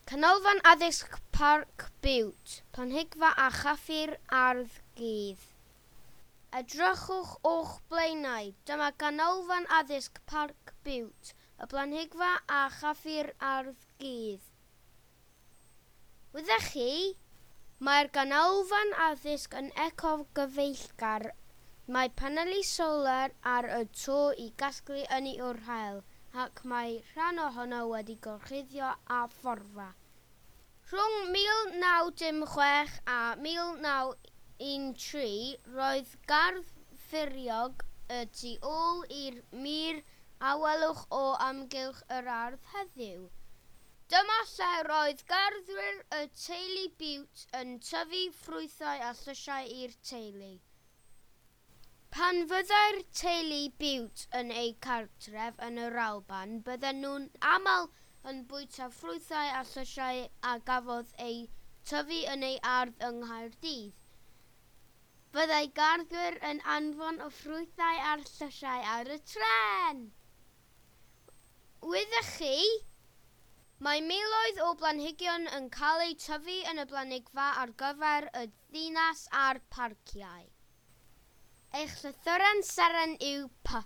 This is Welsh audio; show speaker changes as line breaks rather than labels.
Canolfan Addysg Parc Biwt, Planhigfa a Chaffi'r Ardd Gudd. Edrychwch o'ch blaenau, dyma Ganolfan Addysg Parc Biwt, y Blanhigfa a Chaffi'r Ardd Gudd. Wyddech chi? Mae'r ganolfan addysg yn ecogyfeillgar. Mae paneli solar ar y to i gasglu ynni o'r haul, ac mae rhan ohono wedi gorchuddio â phorfa. Rhwng 1906 a 1913 roedd gardd furiog y tu ôl i'r mur a welwch o amgylch yr ardd heddiw. Dyma lle roedd garddwyr y teulu Bute yn tyfu ffrwythau a llysiau i'r teulu. Pan fyddai'r teulu Bute yn eu cartref yn yr Alban, bydden nhw'n aml yn bwyta ffrwythau a llysiau a gafodd eu tyfu yn eu ardd yng Nghaerdydd. Byddai garddwyr yn anfon y ffrwythau a'r llysiau ar y trên! Wyddech chi? Mae miloedd o blanhigion yn cael eu tyfu yn y blanhigfa ar gyfer y ddinas a'r parciau. Eich llythyren seren yw P.